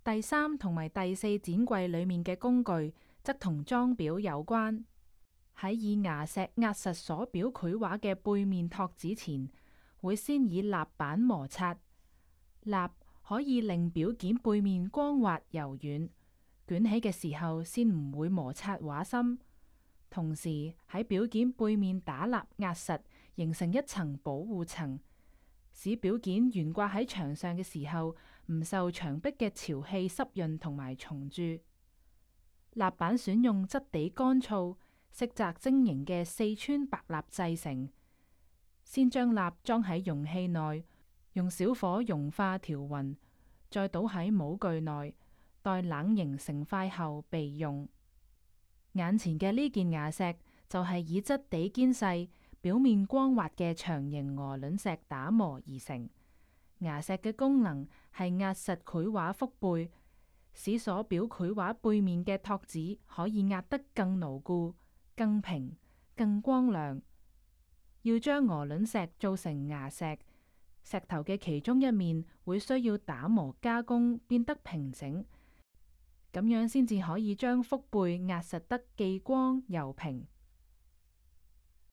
第三同埋第四展櫃裏面嘅工具，則同裝裱有關。喺以牙石壓實鎖表繪畫嘅背面托紙前，會先以蠟板摩擦。蠟可以令表件背面光滑柔軟，捲起嘅時候先唔會摩擦畫心。同時喺表件背面打蠟壓實，形成一層保護層，使表件懸掛喺牆上嘅時候唔受牆壁嘅潮氣濕潤同埋蟲蛀。蠟板選用質地乾燥、色澤晶瑩嘅四川白蠟製成，先將蠟裝喺容器內，用小火融化調勻，再倒喺模具內，待冷凝成塊後備用。眼前嘅呢件牙石就係以質地堅細、表面光滑嘅長形鵝卵石打磨而成。牙石嘅功能係壓實繪畫腹背，使所表繪畫背面嘅托紙可以壓得更牢固、更平、更光亮。要將鵝卵石做成牙石，石頭嘅其中一面會需要打磨加工，變得平整，咁樣先至可以將腹背壓實得既光又平。